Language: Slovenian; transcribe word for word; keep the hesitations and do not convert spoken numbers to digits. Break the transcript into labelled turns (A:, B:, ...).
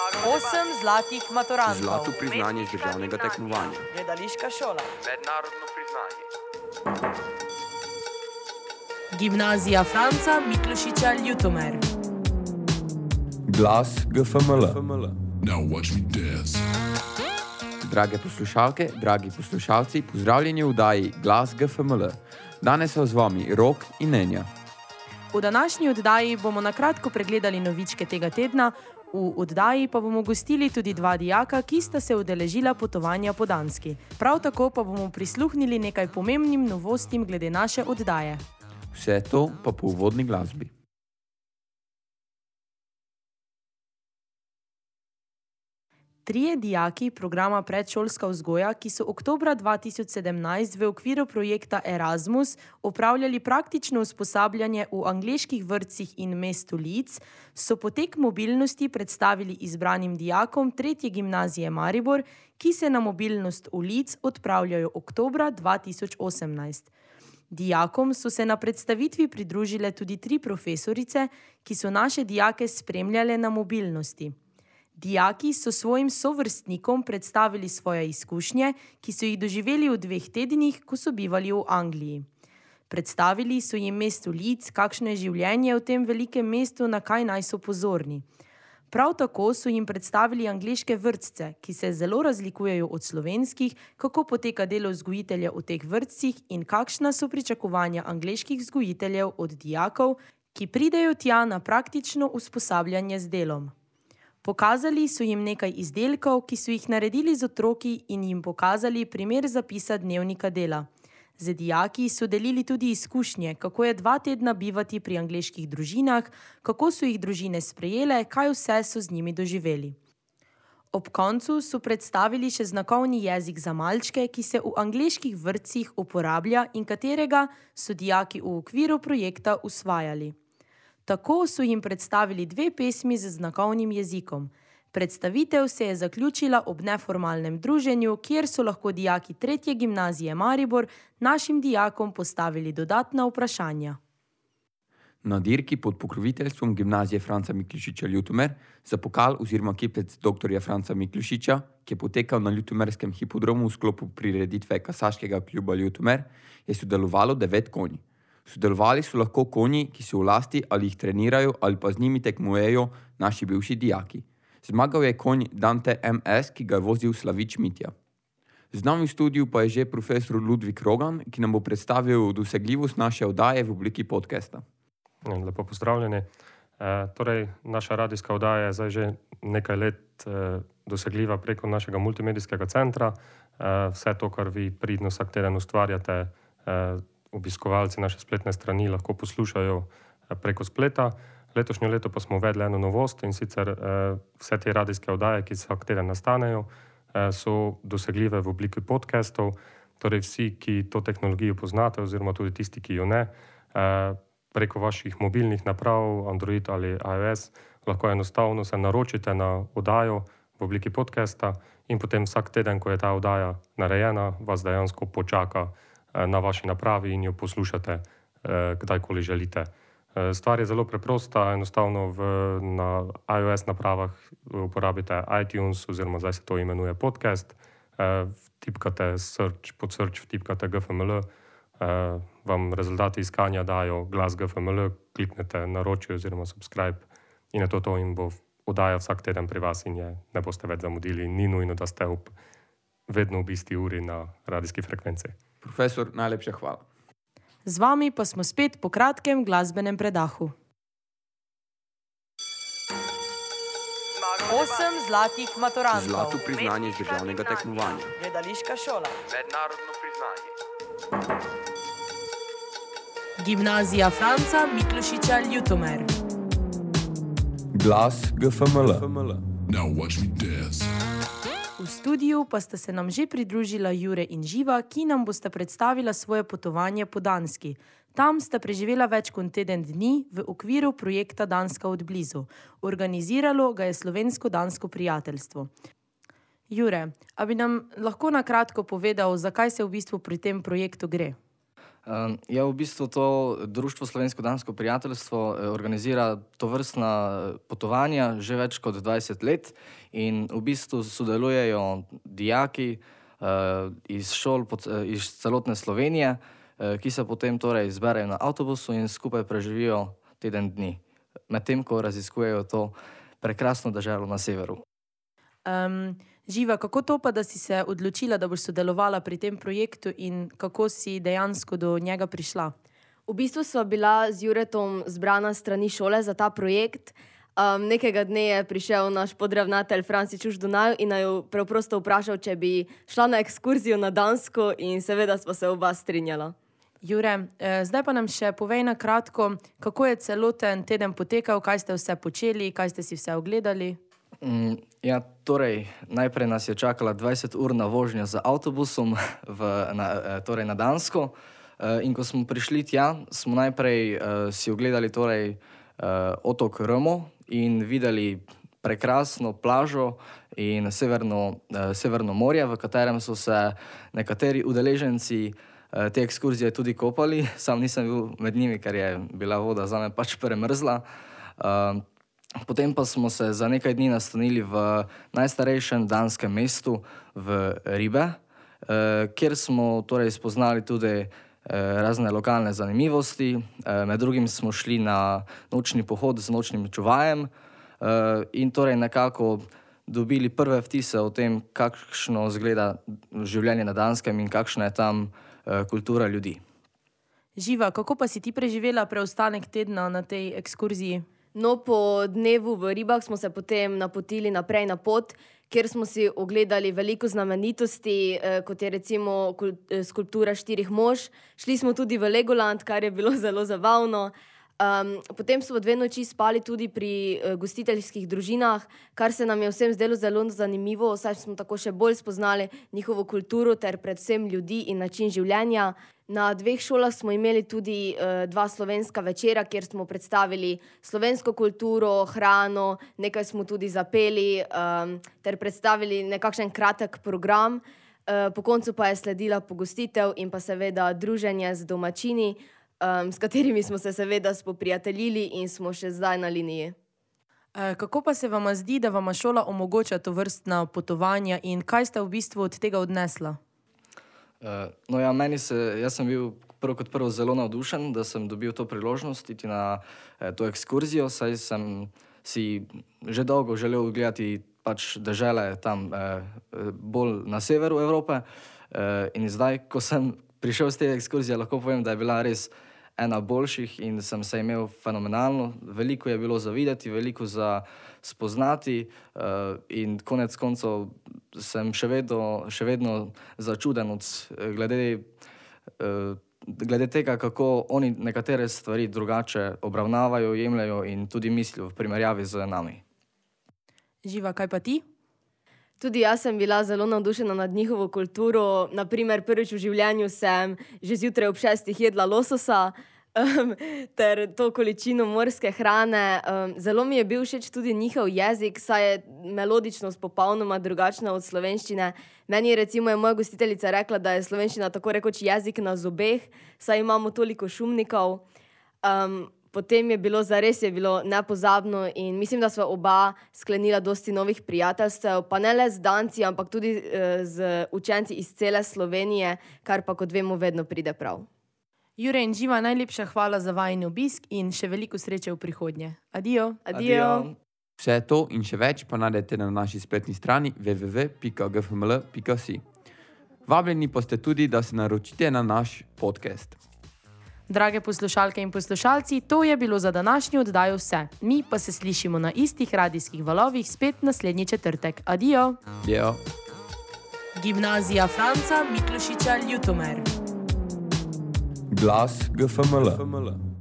A: Osem zlatih maturantov.
B: Zlato priznanje z državnega tekmovanja.
A: Gledališka šola.
C: Mednarodno priznanje.
A: Gimnazija Franca Miklošiča Ljutomer.
B: Glas G F M L.
D: Now watch me dance.
B: Drage poslušalke, dragi poslušalci, pozdravljeni v oddaji Glas G F M L. Danes so z vami Rok in Nenja.
A: V današnji oddaji bomo na kratko pregledali novičke tega tedna, v oddaji pa bomo gostili tudi dva dijaka, ki sta se udeležila potovanja po Danski. Prav tako pa bomo prisluhnili nekaj pomembnim novostim glede naše oddaje.
B: Vse to pa po uvodni glasbi.
A: Trije dijaki programa Predšolska vzgoja, ki so oktobra dva tisoč sedemnajst v okviru projekta Erasmus opravljali praktično usposabljanje v angleških vrtcih in mestu Leeds, so potek mobilnosti predstavili izbranim dijakom tretje gimnazije Maribor, ki se na mobilnost v Leeds odpravljajo oktobra dva tisoč osemnajst. Dijakom so se na predstavitvi pridružile tudi tri profesorice, ki so naše dijake spremljale na mobilnosti. Dijaki so svojim sovrstnikom predstavili svoje izkušnje, ki so jih doživeli v dveh tednih, ko so bivali v Angliji. Predstavili so jim mesto Leeds, kakšno je življenje v tem velikem mestu, na kaj naj so pozorni. Prav tako so jim predstavili angleške vrtce, ki se zelo razlikujejo od slovenskih, kako poteka delo vzgojitelja v teh vrtcih in kakšna so pričakovanja angleških vzgojiteljev od dijakov, ki pridejo tja na praktično usposabljanje z delom. Pokazali so jim nekaj izdelkov, ki so jih naredili z otroki in jim pokazali primer zapisa dnevnika dela. Z dijaki so delili tudi izkušnje, kako je dva tedna bivati pri angleških družinah, kako so jih družine sprejele, kaj vse so z njimi doživeli. Ob koncu so predstavili še znakovni jezik za malčke, ki se v angleških vrtcih uporablja in katerega so dijaki v okviru projekta usvajali. Tako so jim predstavili dve pesmi z znakovnim jezikom. Predstavitev se je zaključila ob neformalnem druženju, kjer so lahko dijaki tretje gimnazije Maribor našim dijakom postavili dodatna vprašanja.
B: Na dirki pod pokroviteljstvom gimnazije Franca Miklošiča Ljutomer za pokal oziroma kipec doktorja Franca Miklošiča, ki je potekal na ljutomerskem hipodromu v sklopu prireditve Kasaškega kluba Ljutomer, je sodelovalo devet konj. Sodelovali so lahko konji, ki so v lasti ali jih trenirajo ali pa z njimi tekmujejo naši bivši dijaki. Zmagal je konj Dante M S, ki ga je vozil Slavič Mitja. Z nami v studiu pa je že profesor Ludvik Rogan, ki nam bo predstavil dosegljivost naše oddaje v obliki podcasta.
E: Lepo pozdravljeni. E, torej, naša radijska oddaja je zdaj že nekaj let e, dosegljiva preko našega multimedijskega centra. E, vse to, kar vi pridno vsak teden ustvarjate, e, obiskovalci naše spletne strani lahko poslušajo preko spleta. Letošnjo leto pa smo uvedli eno novost in sicer eh, vse te radijske oddaje, ki vsak teden nastanejo, eh, so dosegljive v obliki podcastov. Torej vsi, ki to tehnologijo poznate oziroma tudi tisti, ki jo ne, eh, preko vaših mobilnih naprav, Android ali iOS, lahko enostavno se naročite na oddajo v obliki podcasta in potem vsak teden, ko je ta oddaja narejena, vas dejansko počaka na vaši napravi in jo poslušate eh, kdajkoli želite. Eh, stvar je zelo preprosta, enostavno v, na iOS napravah uporabite iTunes oziroma zdaj se to imenuje podcast, eh, vtipkate search, pod search vtipkate G F M L, eh, vam rezultati iskanja dajo Glas G F M L, kliknete naroči oziroma subscribe in je to to in bo oddaja vsak teden pri vas in je ne boste več zamudili. Ni nujno, da ste ob, vedno v isti uri na radijski frekvenci.
B: Profesor, najlepša hvala.
A: Z vami pa smo spet po kratkem glasbenem predahu. Osem zlatih maturantov.
B: Zlato priznanje z državnega tekmovanja.
A: Gledališka šola.
C: Mednarodno priznanje.
A: Gimnazija Franca Miklošiča Ljutomer.
B: Glas G F M L.
D: Now watch me dance.
A: V studiu pa sta se nam že pridružila Jure in Živa, ki nam bosta predstavila svoje potovanje po Danski. Tam sta preživela več kot teden dni v okviru projekta Danska od blizu. Organiziralo ga je Slovensko-dansko prijateljstvo. Jure, a bi nam lahko na kratko povedal, zakaj se v bistvu pri tem projektu gre?
F: Um, ja, v bistvu to Društvo Slovensko-dansko prijateljstvo eh, organizira tovrstna potovanja že več kot dvajset let in v bistvu sodelujejo dijaki eh, iz šol pod, eh, iz celotne Slovenije, eh, ki se potem torej zberejo na avtobusu in skupaj preživijo teden dni, medtem ko raziskujejo to prekrasno deželo na severu.
A: Um, Živa, kako to pa, da si se odločila, da boš sodelovala pri tem projektu in kako si dejansko do njega prišla?
G: V bistvu sva bila z Juretom zbrana strani šole za ta projekt. Um, nekega dne je prišel naš podravnatelj Franci Čuš Dunaju in naju preprosto vprašal, če bi šla na ekskurzijo na Dansko in seveda sva se oba strinjala.
A: Jure, eh, zdaj pa nam še povej na kratko, kako je celoten teden potekal, kaj ste vse počeli, kaj ste si vse ogledali?
F: Mm, ja, torej, najprej nas je čakala dvajseturna vožnja z avtobusom v, na, torej na Dansko. E, in ko smo prišli tja, smo najprej e, si ogledali torej, e, otok Rmo in videli prekrasno plažo in severno, e, severno morje, v katerem so se nekateri udeleženci e, te ekskurzije tudi kopali. Sam nisem bil med njimi, ker je bila voda zame pač premrzla. E, Potem pa smo se za nekaj dni nastanili v najstarejšem danskem mestu v Ribe, eh, kjer smo torej spoznali tudi eh, razne lokalne zanimivosti. Eh, med drugim smo šli na nočni pohod z nočnim čuvajem eh, in torej nekako dobili prve vtise o tem, kakšno izgleda življenje na Danskem in kakšna je tam eh, kultura ljudi.
A: Živa, kako pa si ti preživela preostanek tedna na tej ekskurziji?
G: No, po dnevu v Ribah smo se potem napotili naprej na pot, kjer smo si ogledali veliko znamenitosti, eh, kot je recimo skulptura štirih mož. Šli smo tudi v Legoland, kar je bilo zelo zabavno. Um, potem smo dve noči spali tudi pri eh, gostiteljskih družinah, kar se nam je vsem zdelo zelo zanimivo, saj smo tako še bolj spoznali njihovo kulturo ter predvsem ljudi in način življenja. Na dveh šolah smo imeli tudi uh, dva slovenska večera, kjer smo predstavili slovensko kulturo, hrano, nekaj smo tudi zapeli um, ter predstavili nekakšen kratek program. Uh, po koncu pa je sledila pogostitev in pa seveda druženje z domačini, um, s katerimi smo se seveda spoprijateljili in smo še zdaj na liniji.
A: E, kako pa se vama zdi, da vama šola omogoča tovrstna potovanja in kaj ste v bistvu od tega odnesla?
F: Uh, no ja, meni se, jaz sem bil prvo kot prvo zelo navdušen, da sem dobil to priložnost iti na eh, to ekskurzijo, saj sem si že dolgo želel gledati pač dežele tam eh, bolj na severu Evrope eh, in zdaj, ko sem prišel z te ekskurzije, lahko povem, da je bila res ena boljših in sem se imel fenomenalno. Veliko je bilo za videti, veliko za spoznati uh, in konec koncev sem še vedno, še vedno začuden od, glede, uh, glede tega, kako oni nekatere stvari drugače obravnavajo, jemljajo in tudi mislijo v primerjavi z nami.
A: Živa, kaj pa ti?
G: Tudi jaz sem bila zelo navdušena nad njihovo kulturo. Naprimer, prvič v življenju sem že zjutraj ob šestih jedla lososa um, ter to količino morske hrane. Um, zelo mi je bil všeč tudi njihov jezik, saj je melodičnost popolnoma drugačna od slovenščine. Meni je recimo je moja gostiteljica rekla, da je slovenščina tako rekoč jezik na zobeh, saj imamo toliko šumnikov. Um, Potem je bilo, zares je bilo nepozabno in mislim, da sva oba sklenila dosti novih prijateljstev, pa ne le z Danci, ampak tudi uh, z učenci iz cele Slovenije, kar pa, kot vemo, vedno pride prav.
A: Jure in Živa, najlepša hvala za vajin obisk in še veliko sreče v prihodnje. Adijo.
G: Adijo.
B: Vse to in še več pa najdete na naši spletni strani w w w pika g f m l pika si. Vabljeni pa ste tudi, da se naročite na naš podcast.
A: Drage poslušalke in poslušalci, to je bilo za današnjo oddajo vse. Mi pa se slišimo na istih radijskih valovih spet naslednji četrtek. Adijo.
B: Adijo.
A: Gimnazija Franca Miklošiča Ljutomer.
B: Glas G F M L.